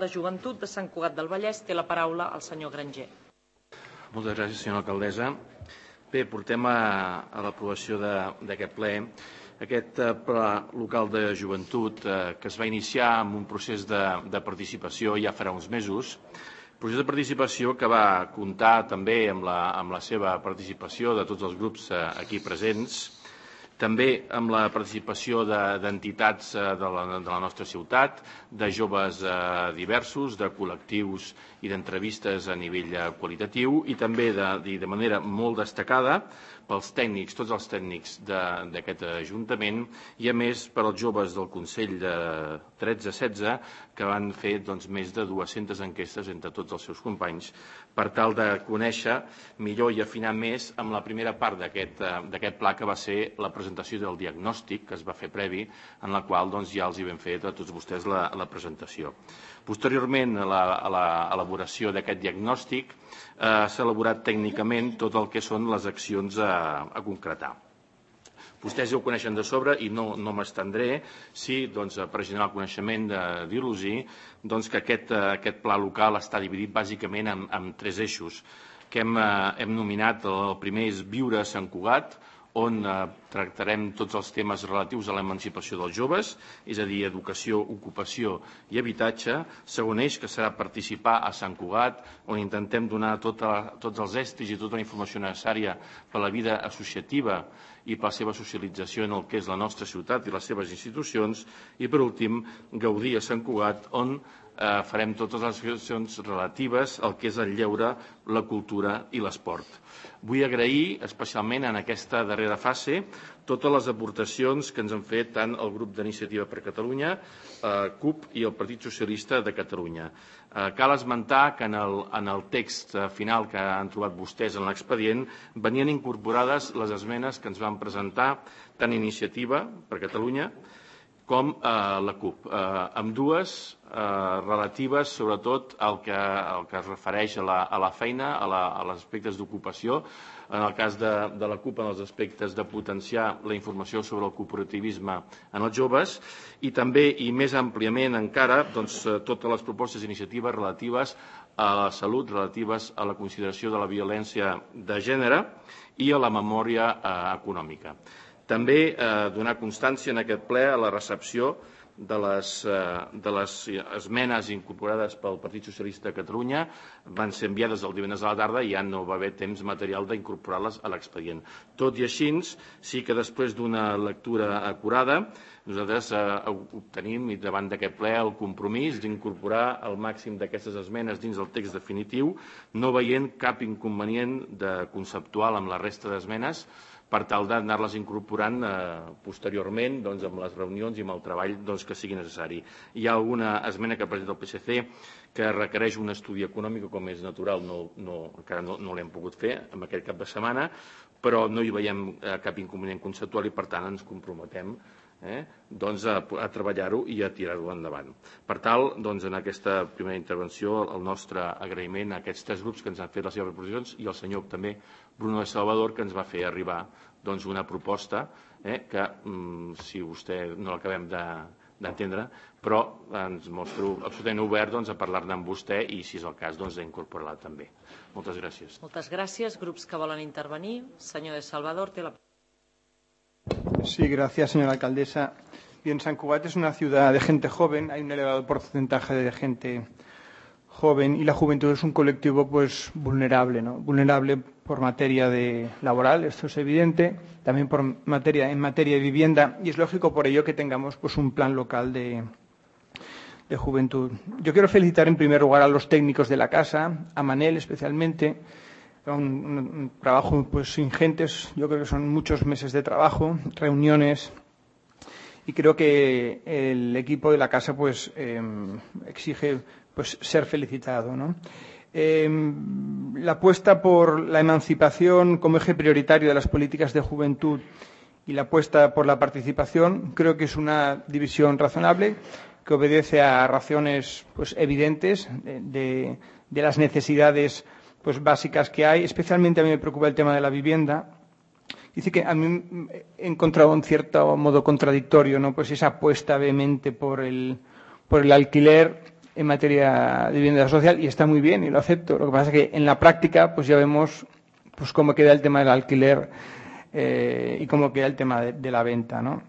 de Joventut de Sant Cugat del Vallès. Té la paraula el senyor Granger. Moltes gràcies, senyora alcaldessa. Bé, portem a l'aprovació d'aquest ple aquest pla local de joventut que es va iniciar amb un procés de participació ja farà uns mesos. Procés de participació que va comptar també amb la seva participació de tots els grups aquí presents, també amb la participació d'entitats de la nostra ciutat, de joves diversos, de col·lectius i d'entrevistes a nivell qualitatiu i també de manera molt destacada pels tècnics, tots els tècnics d'aquest Ajuntament i a més per als joves del Consell de 13-16 que van fer més de 200 enquestes entre tots els seus companys per tal de conèixer millor i afinar més amb la primera part d'aquest pla que va ser la presentació del diagnòstic que es va fer previ en la qual ja els hi vam fer a tots vostès la presentació. Posteriorment a l'elaboració d'aquest diagnòstic s'ha elaborat tècnicament tot el que són les accions a concretar. Vostès ja ho coneixen de sobre i no m'estendré, sí, per generar el coneixement de dir-los que aquest pla local està dividit bàsicament en 3 eixos que hem nominat. El primer és Viure a Sant Cugat, on tractarem tots els temes relatius a l'emancipació dels joves, és a dir, educació, ocupació i habitatge. Segon eix, que serà Participar a Sant Cugat, on intentem donar tots els estris i tota la informació necessària per a la vida associativa i per la seva socialització en el que és la nostra ciutat i les seves institucions. I, per últim, Gaudir a Sant Cugat, on farem totes les accions relatives al que és el lleure, la cultura i l'esport. Vull agrair especialment en aquesta darrera fase totes les aportacions que ens han fet tant el grup d'Iniciativa per Catalunya, CUP i el Partit Socialista de Catalunya. Cal esmentar que en el text final que han trobat vostès en l'expedient venien incorporades les esmenes que ens van presentar tant Iniciativa per Catalunya com la CUP, amb dues relatives sobretot al que es refereix a la feina, als aspectes d'ocupació, en el cas de la CUP en els aspectes de potenciar la informació sobre el cooperativisme en els joves i també, i més àmpliament encara, totes les propostes d'iniciativa relatives a la salut, relatives a la consideració de la violència de gènere i a la memòria econòmica. També donar constància en aquest ple a la recepció de les esmenes incorporades pel Partit Socialista de Catalunya. Van ser enviades el divendres a la tarda i ja no va haver temps material d'incorporar-les a l'expedient. Tot i així, sí que després d'una lectura acurada, nosaltres obtenim davant d'aquest ple el compromís d'incorporar el màxim d'aquestes esmenes dins del text definitiu, no veient cap inconvenient conceptual amb la resta d'esmenes, per tal d'anar-les incorporant posteriorment amb les reunions i amb el treball que sigui necessari. Hi ha alguna esmena que presenta el PSC que requereix un estudi econòmic, com és natural, encara no l'hem pogut fer en aquest cap de setmana, però no hi veiem cap inconvenient conceptual i per tant ens comprometem a treballar-ho i a tirar-ho endavant. Per tal, en aquesta primera intervenció, el nostre agraïment a aquests 3 grups que ens han fet les seves proposicions i al senyor també Bruno de Salvador, que ens va fer arribar una proposta que, si vostè no l'acabem d'entendre, però ens mostro absolutament obert a parlar-ne amb vostè i, si és el cas, a incorporar-la també. Moltes gràcies. Moltes gràcies. Grups que volen intervenir. Senyor de Salvador, té la paraula. Sí, gracias, señora alcaldesa. Bien, San Cugat es una ciudad de gente joven, hay un elevado porcentaje de gente joven y la juventud es un colectivo vulnerable, ¿no? Vulnerable por materia laboral, esto es evidente, también en materia de vivienda y es lógico por ello que tengamos un plan local de juventud. Yo quiero felicitar en primer lugar a los técnicos de la casa, a Manel especialmente, un trabajo ingente, yo creo que son muchos meses de trabajo, reuniones y creo que el equipo de la casa exige ser felicitado, ¿no? La apuesta por la emancipación como eje prioritario de las políticas de juventud y la apuesta por la participación creo que es una división razonable que obedece a razones evidentes de las necesidades básicas que hay. Especialmente a mí me preocupa el tema de la vivienda. Dice que a mí he encontrado en cierto modo contradictorio, ¿no? Esa apuesta vehemente por el alquiler en materia de vivienda social y está muy bien y lo acepto. Lo que pasa es que en la práctica pues ya vemos pues cómo queda el tema del alquiler y cómo queda el tema de la venta, ¿no?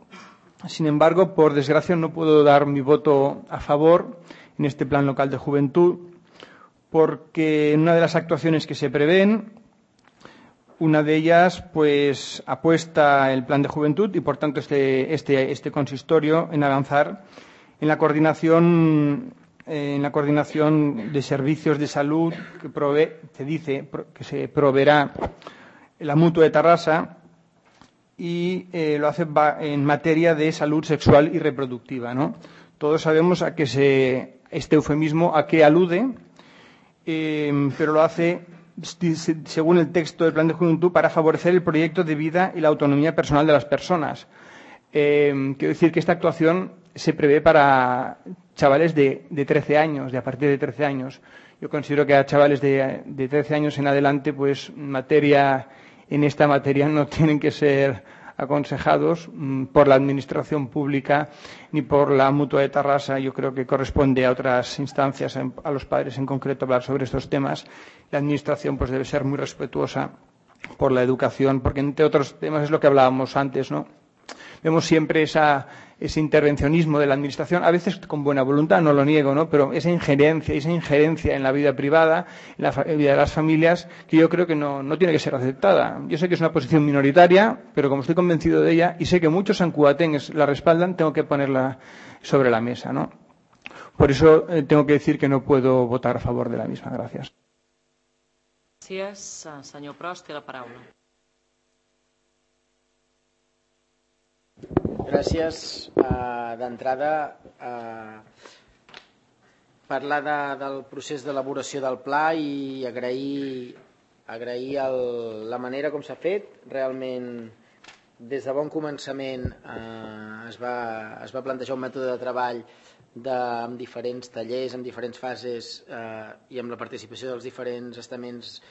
Sin embargo, por desgracia, no puedo dar mi voto a favor en este plan local de juventud porque en una de las actuaciones que se prevén, una de ellas pues apuesta el plan de juventud y por tanto este consistorio en avanzar en la coordinación de servicios de salud que se proveerá la Mutua de Tarrasa y lo hace en materia de salud sexual y reproductiva, ¿no? Todos sabemos a qué este eufemismo a qué alude, pero lo hace según el texto del Plan de Juventud para favorecer el proyecto de vida y la autonomía personal de las personas. Quiero decir que esta actuación se prevé para chavales de 13 años, de a partir de 13 años. Yo considero que a chavales de 13 años en adelante, pues en esta materia no tienen que ser aconsejados por la Administración Pública ni por la Mutua de Tarrasa. Yo creo que corresponde a otras instancias, a los padres en concreto, hablar sobre estos temas. La Administración pues debe ser muy respetuosa por la educación, porque entre otros temas es lo que hablábamos antes, ¿no? Vemos siempre ese intervencionismo de la Administración, a veces con buena voluntad, no lo niego, ¿no? Pero esa injerencia en la vida privada, en la vida de las familias, que yo creo que no tiene que ser aceptada. Yo sé que es una posición minoritaria, pero como estoy convencido de ella y sé que muchos sancuatengues la respaldan, tengo que ponerla sobre la mesa, ¿no? Por eso tengo que decir que no puedo votar a favor de la misma. Gracias. Gràcies. Senyor Prost, té la paraula. Gràcies. D'entrada, parlar del procés d'elaboració del pla i agrair la manera com s'ha fet. Realment, des de bon començament es va plantejar un mètode de treball amb diferents tallers, amb diferents fases i amb la participació dels diferents estaments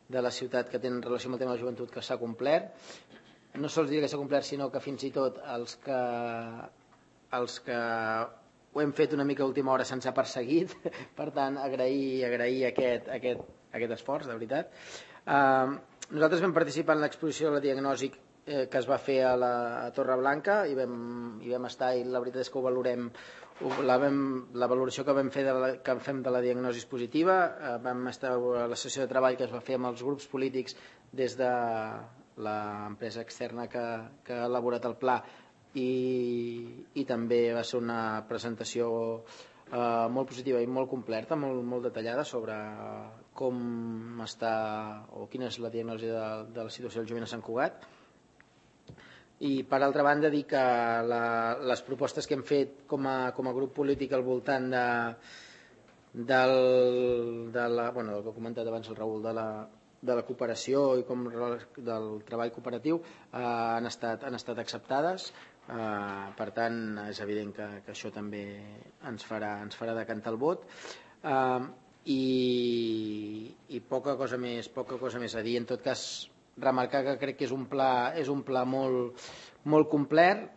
de la ciutat que tenen relació amb el tema de la joventut, que s'ha complert. No sols dir que s'ha complert, sinó que fins i tot els que ho hem fet una mica a última hora se'ns ha perseguit. Per tant, agrair aquest esforç, de veritat. Nosaltres vam participar en l'exposició de la diagnosi que es va fer a Torreblanca i vam estar, i la veritat és que ho valorem. La valoració que fem de la diagnosi positiva, vam estar a la sessió de treball que es va fer amb els grups polítics des de l'empresa externa que ha elaborat el pla i també va ser una presentació molt positiva i molt completa, molt detallada sobre com està o quina és la diagnosi de la situació del jovent a Sant Cugat. I per altra banda dir que les propostes que hem fet com a grup polític al voltant del que ha comentat abans el Raül de la cooperació i del treball cooperatiu han estat acceptades. Per tant, és evident que això també ens farà decantar el vot. I poca cosa més a dir. En tot cas, remarcar que crec que és un pla molt complet,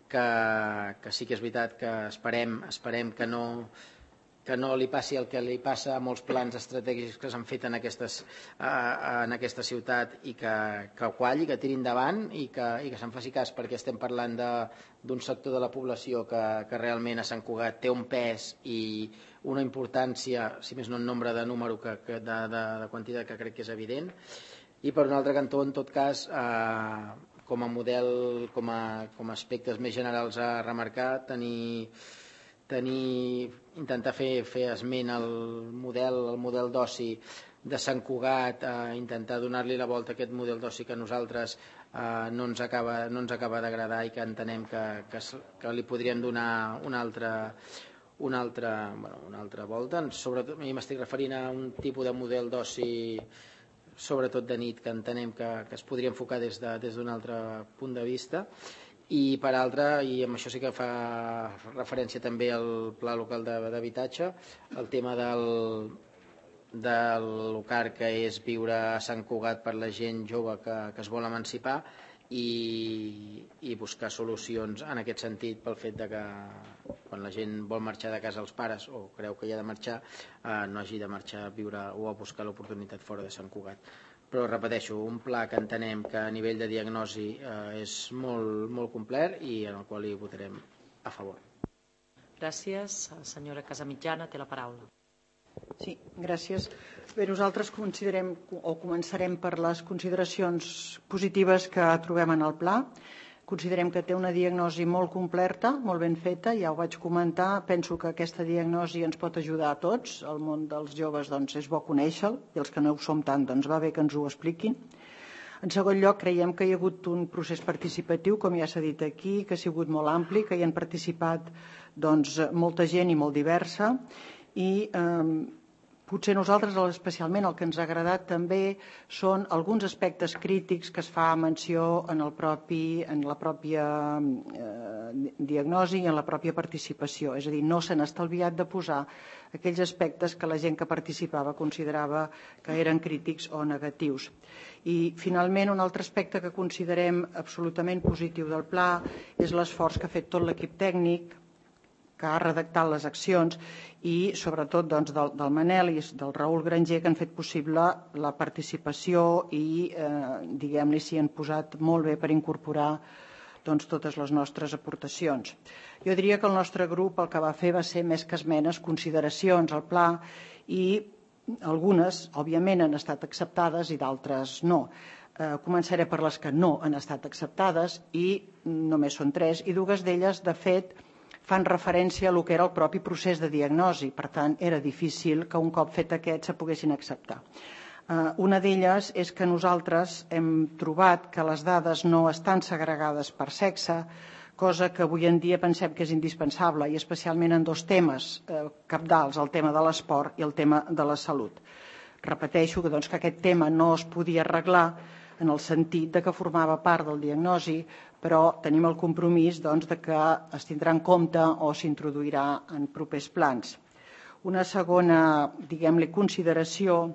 que sí que és veritat que esperem que no li passi el que li passa a molts plans estratègics que s'han fet en aquesta ciutat i que qualli, que tiri endavant i que se'n faci cas, perquè estem parlant d'un sector de la població que realment a Sant Cugat té un pes i una importància, si més no en nombre de número, de quantitat, que crec que és evident. I per un altre cantó, en tot cas, com a model, com a aspectes més generals a remarcar, intentar fer esment al model d'oci de Sant Cugat, intentar donar-li la volta a aquest model d'oci que a nosaltres no ens acaba d'agradar i que entenem que li podríem donar una altra volta. Sobretot, a mi m'estic referint a un tipus de model d'oci sobretot de nit, que entenem que es podria enfocar des d'un altre punt de vista. I per altra, i amb això sí que fa referència també al pla local d'habitatge, el tema del LOCAR, que és viure a Sant Cugat per la gent jove que es vol emancipar, i buscar solucions en aquest sentit pel fet de que quan la gent vol marxar de casa els pares o creu que hi ha de marxar no hagi de marxar a viure o a buscar l'oportunitat fora de Sant Cugat. Però repeteixo, un pla que entenem que a nivell de diagnosi és molt complet i en el qual hi votarem a favor. Gràcies. Senyora Casamitjana té la paraula. Sí, gràcies. Bé, nosaltres considerem o començarem per les consideracions positives que trobem en el pla. Considerem que té una diagnosi molt completa, molt ben feta, ja ho vaig comentar. Penso que aquesta diagnosi ens pot ajudar a tots. El món dels joves és bo conèixer-lo i els que no ho som tant va bé que ens ho expliquin. En segon lloc, creiem que hi ha hagut un procés participatiu, com ja s'ha dit aquí, que ha sigut molt ampli, que hi han participat molta gent i molt diversa i potser nosaltres especialment el que ens ha agradat també són alguns aspectes crítics que es fa menció en la pròpia diagnosi i en la pròpia participació. És a dir, no s'han estalviat de posar aquells aspectes que la gent que participava considerava que eren crítics o negatius. I finalment un altre aspecte que considerem absolutament positiu del pla és l'esforç que ha fet tot l'equip tècnic que ha redactat les accions i sobretot del Manel i del Raül Granger que han fet possible la participació i diguem-li s'hi han posat molt bé per incorporar totes les nostres aportacions. Jo diria que el nostre grup el que va fer va ser més que esmenes, consideracions al pla i algunes, òbviament, han estat acceptades i d'altres no. Començaré per les que no han estat acceptades i només són 3 i 2 d'elles, de fet, fan referència a el que era el propi procés de diagnosi. Per tant, era difícil que un cop fet aquest se poguessin acceptar. Una d'elles és que nosaltres hem trobat que les dades no estan segregades per sexe, cosa que avui en dia pensem que és indispensable, i especialment en 2 temes cabdals, el tema de l'esport i el tema de la salut. Repeteixo que aquest tema no es podia arreglar en el sentit que formava part del diagnosi, però tenim el compromís de que es tindrà en compte o s'introduirà en propers plans. Una segona, diguem-li, consideració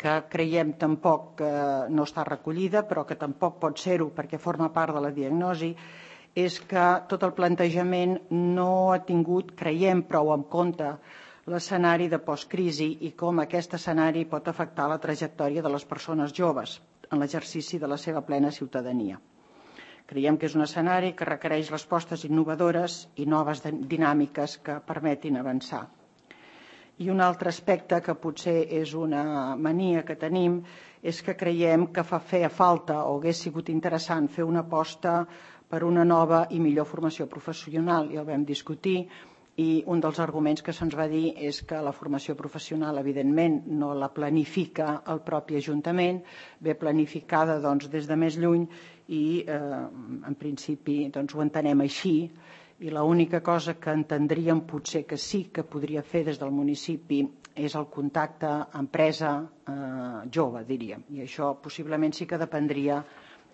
que creiem tampoc que no està recollida, però que tampoc pot ser-ho perquè forma part de la diagnosi, és que tot el plantejament no ha tingut, creiem, prou en compte l'escenari de postcrisi i com aquest escenari pot afectar la trajectòria de les persones joves en l'exercici de la seva plena ciutadania. Creiem que és un escenari que requereix respostes innovadores i noves dinàmiques que permetin avançar. I un altre aspecte que potser és una mania que tenim és que creiem que feia falta o hagués sigut interessant fer una aposta per una nova i millor formació professional, i el vam discutir, i un dels arguments que se'ns va dir és que la formació professional, evidentment, no la planifica el propi Ajuntament, ve planificada des de més lluny i, en principi, ho entenem així, i l'única cosa que entendríem potser que sí que podria fer des del municipi és el contacte empresa jove, diríem, i això possiblement sí que dependria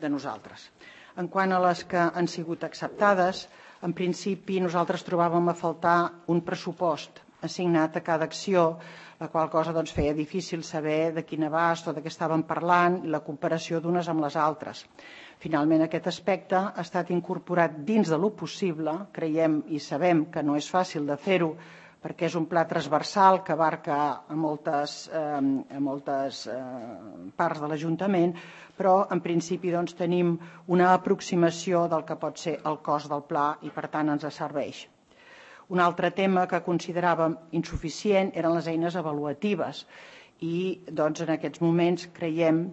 de nosaltres. En quant a les que han sigut acceptades, en principi nosaltres trobàvem a faltar un pressupost assignat a cada acció, la qual cosa feia difícil saber de quin abast o de què estàvem parlant i la comparació d'unes amb les altres. Finalment, aquest aspecte ha estat incorporat dins de lo possible, creiem i sabem que no és fàcil de fer-ho, perquè és un pla transversal que abarca a moltes parts de l'Ajuntament, però en principi tenim una aproximació del que pot ser el cost del pla i per tant ens serveix. Un altre tema que consideràvem insuficient eren les eines avaluatives i en aquests moments creiem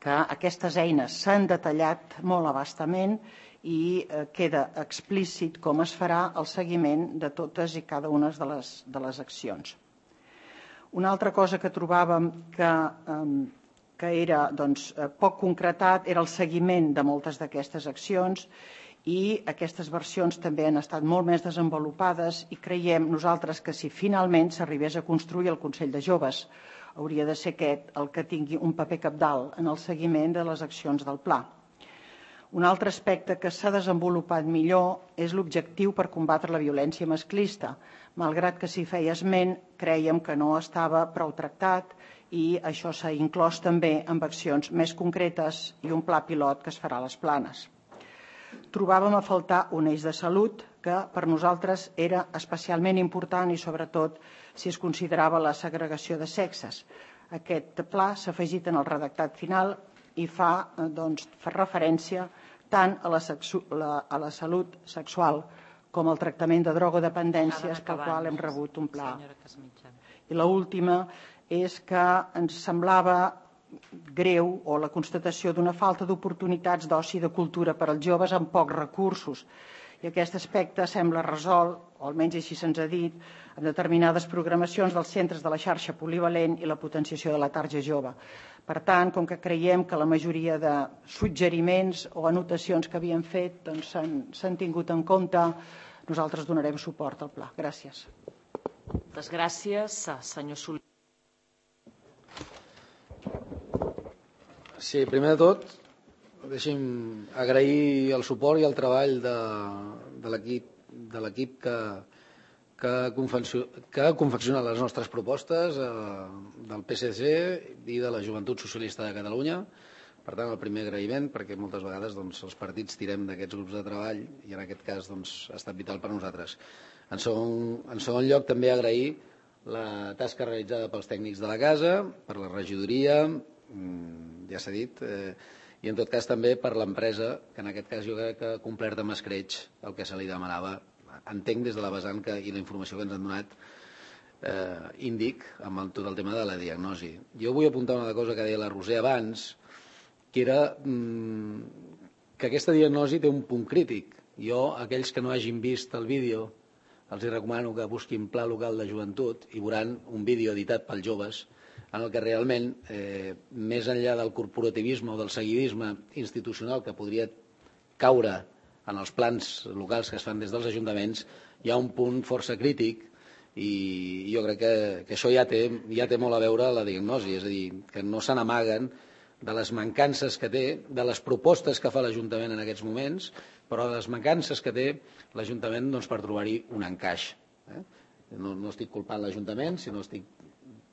que aquestes eines s'han detallat molt a bastament i queda explícit com es farà el seguiment de totes i cada una de les accions. Una altra cosa que trobàvem que era poc concretat era el seguiment de moltes d'aquestes accions i aquestes versions també han estat molt més desenvolupades i creiem nosaltres que si finalment s'arribés a construir el Consell de Joves hauria de ser aquest el que tingui un paper cabdal en el seguiment de les accions del pla. Un altre aspecte que s'ha desenvolupat millor és l'objectiu per combatre la violència masclista. Malgrat que s'hi feia esment, crèiem que no estava prou tractat i això s'ha inclòs també amb accions més concretes i un pla pilot que es farà a les Planes. Trobàvem a faltar un eix de salut que per nosaltres era especialment important i sobretot si es considerava la segregació de sexes. Aquest pla s'ha afegit en el redactat final i fa referència tant a la salut sexual com al tractament de drogodependències pel qual hem rebut un pla. I l'última és que ens semblava greu o la constatació d'una falta d'oportunitats d'oci i de cultura per als joves amb pocs recursos. I aquest aspecte sembla resolt, o almenys així se'ns ha dit, amb determinades programacions dels centres de la xarxa polivalent i la potenciació de la tarja jove. Per tant, com que creiem que la majoria de suggeriments o anotacions que havíem fet s'han tingut en compte, nosaltres donarem suport al pla. Gràcies. Moltes gràcies. Senyor Soler. Sí, primer de tot, deixi'm agrair el suport i el treball de l'equip que ha confeccionat les nostres propostes del PSC i de la Joventut Socialista de Catalunya. Per tant, el primer agraïment, perquè moltes vegades els partits tirem d'aquests grups de treball i en aquest cas ha estat vital per a nosaltres. En segon lloc, també agrair la tasca realitzada pels tècnics de la casa, per la regidoria, ja s'ha dit, i en tot cas també per l'empresa, que en aquest cas jo crec que ha complert amb escreix el que se li demanava. Entenc des de la vessant i la informació que ens han donat índic amb tot el tema de la diagnosi. Jo vull apuntar una cosa que deia la Roser abans, que era que aquesta diagnosi té un punt crític. Jo, aquells que no hagin vist el vídeo, els recomano que busquin Pla Local de Joventut i veuran un vídeo editat pels joves en el que realment, més enllà del corporativisme o del seguidisme institucional que podria caure en els plans locals que es fan des dels ajuntaments, hi ha un punt força crític i jo crec que això ja té molt a veure la diagnosi, és a dir, que no se n'amaguen de les mancances que té, de les propostes que fa l'Ajuntament en aquests moments, però de les mancances que té l'Ajuntament per trobar-hi un encaix. No estic culpant l'Ajuntament, sinó estic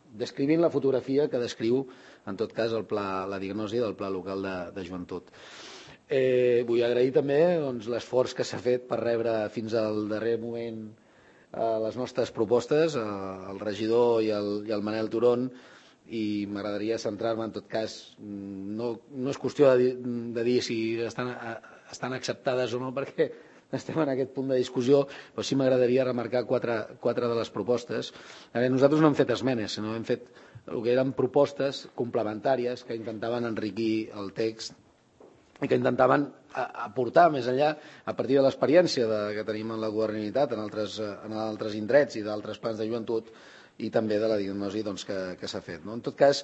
descrivint la fotografia que descriu, en tot cas, la diagnosi del Pla Local de Joventut. Vull agrair també l'esforç que s'ha fet per rebre fins al darrer moment les nostres propostes, el regidor i el Manel Turón, i m'agradaria centrar-me, en tot cas, no és qüestió de dir si estan acceptades o no, perquè estem en aquest punt de discussió, però sí m'agradaria remarcar quatre de les propostes. Nosaltres no hem fet esmenes, sinó hem fet el que eren propostes complementàries que intentaven enriquir el text i que intentaven aportar més enllà, a partir de l'experiència que tenim en la governabilitat en altres indrets i d'altres plans de joventut, i també de la diagnosi que s'ha fet. En tot cas,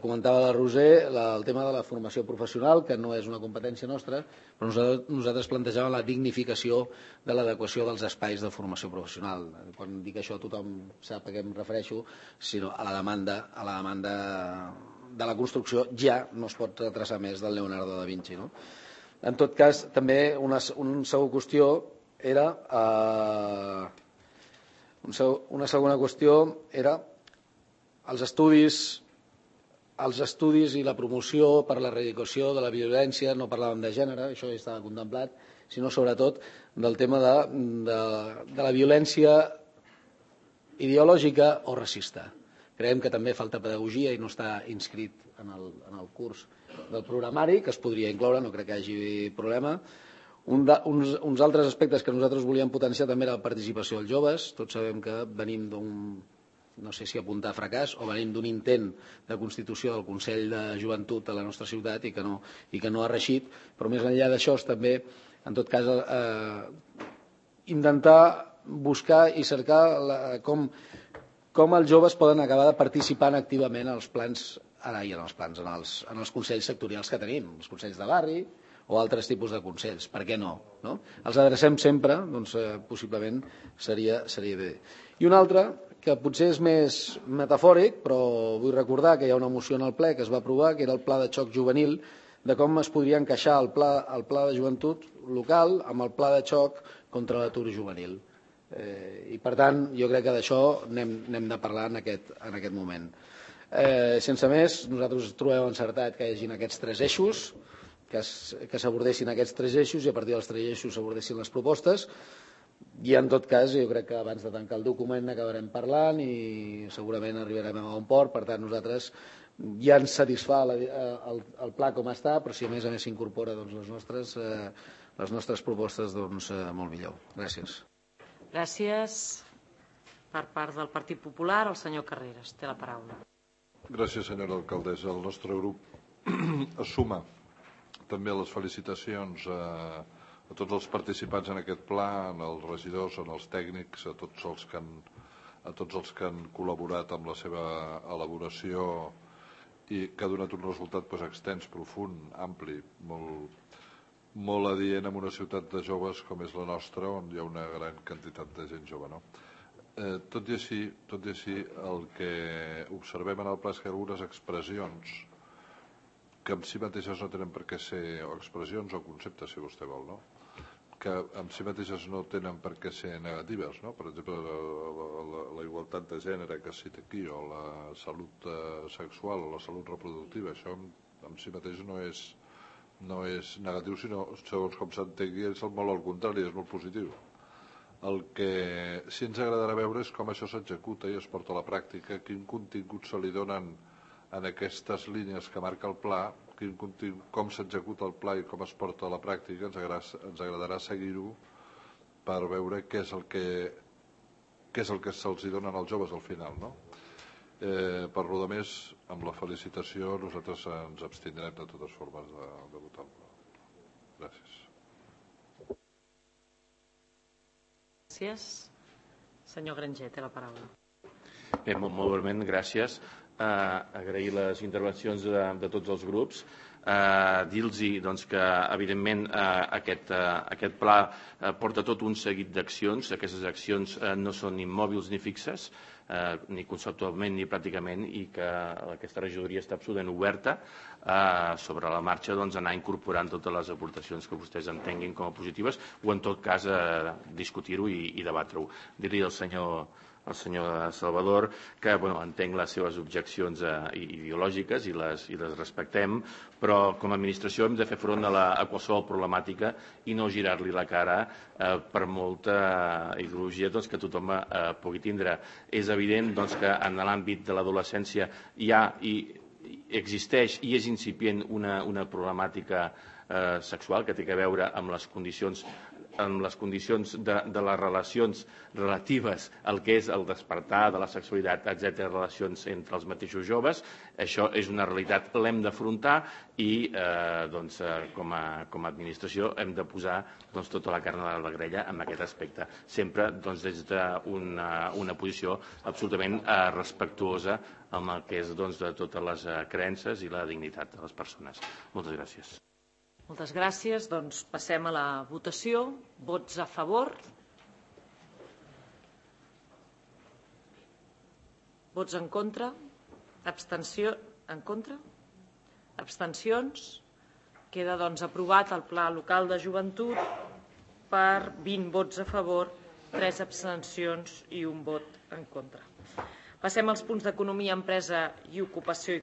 comentava la Roser el tema de la formació professional, que no és una competència nostra, però nosaltres plantejàvem la dignificació de l'adequació dels espais de formació professional. Quan dic això tothom sap a què em refereixo, sinó a la demanda de la construcció ja no es pot retrasar més del Leonardo da Vinci. En tot cas, també una segona qüestió era... Una segona qüestió era els estudis i la promoció per l'erradicació de la violència. No parlàvem de gènere, això ja estava contemplat, sinó sobretot del tema de la violència ideològica o racista. Creiem que també falta pedagogia i no està inscrit en el curs del programari, que es podria incloure, no crec que hi hagi problema. Uns altres aspectes que nosaltres volíem potenciar també era la participació dels joves. Tots sabem que venim d'un, no sé si apuntar fracàs, o venim d'un intent de constitució del Consell de Joventut a la nostra ciutat i que no ha reeixit, però més enllà d'això també, en tot cas, intentar buscar i cercar com els joves poden acabar participant activament en els plans, en els consells sectorials que tenim, els consells de barri, o altres tipus de consells. Per què no? Els adrecem sempre, doncs possiblement seria bé. I un altre, que potser és més metafòric, però vull recordar que hi ha una moció en el ple que es va aprovar, que era el Pla de Xoc Juvenil de com es podria encaixar el pla de joventut local amb el pla de xoc contra l'atur juvenil. I, per tant, jo crec que d'això n'hem de parlar en aquest moment. Sense més, nosaltres trobem encertat que hi hagin aquests 3 eixos, que s'abordessin aquests 3 eixos i a partir dels 3 eixos s'abordessin les propostes. I, en tot cas, jo crec que abans de tancar el document acabarem parlant i segurament arribarem a un port. Per tant, nosaltres ja ens satisfà el pla com està, però si a més s'incorpora les nostres propostes, doncs molt millor. Gràcies. Gràcies. Per part del Partit Popular, el senyor Carreras té la paraula. Gràcies, senyora alcaldessa. El nostre grup es suma també a les felicitacions a tots els participants en aquest pla, als regidors, als tècnics, a tots els que han col·laborat amb la seva elaboració i que ha donat un resultat extens, profund, ampli, molt adient en una ciutat de joves com és la nostra, on hi ha una gran quantitat de gent jove. Tot i així, el que observem en el pla és que algunes expressions que en si mateixes no tenen per què ser, o expressions o conceptes, si vostè vol, que en si mateixes no tenen per què ser negatives. Per exemple, la igualtat de gènere que es cita aquí, o la salut sexual, o la salut reproductiva, això en si mateix no és negatiu, sinó, segons com s'entengui, és molt al contrari, és molt positiu. El que sí ens agradarà veure és com això s'executa i es porta a la pràctica, quin contingut se li donen en aquestes línies que marca el pla, com s'executa el pla i com es porta a la pràctica. Ens agradarà seguir-ho per veure què és el que se'ls dona als joves al final. Per lo de més, amb la felicitació, nosaltres ens abstindrem de totes formes de votar el pla. Gràcies. Gràcies. Senyor Granger, té la paraula. Bé, molt breument, gràcies. Agrair les intervencions de tots els grups, dir-los que evidentment aquest pla porta tot un seguit d'accions. Aquestes accions no són immòbils ni fixes, ni conceptualment ni pràcticament, i que aquesta regidoria està absolutament oberta sobre la marxa anar incorporant totes les aportacions que vostès entenguin com a positives o en tot cas discutir-ho i debatre-ho. Dir-li al senyor Salvador que entenc les seves objeccions ideològiques i les respectem, però com a administració hem de fer front a qualsevol problemàtica i no girar-li la cara per molta ideologia que tothom pugui tindre. És evident que en l'àmbit de l'adolescència hi ha i existeix i és incipient una problemàtica sexual que té a veure amb les condicions de les relacions relatives al que és el despertar de la sexualitat, etc., relacions entre els mateixos joves. Això és una realitat, l'hem d'afrontar i com a administració hem de posar tota la carn a la grella en aquest aspecte, sempre des d'una posició absolutament respectuosa amb el que és de totes les creences i la dignitat de les persones. Moltes gràcies. Moltes gràcies. Passem a la votació. Vots a favor? Vots en contra? En contra? Abstencions? Queda aprovat el Pla Local de Joventut per 20 vots a favor, 3 abstencions i 1 vot en contra. Passem als punts d'Economia, Empresa i Ocupació.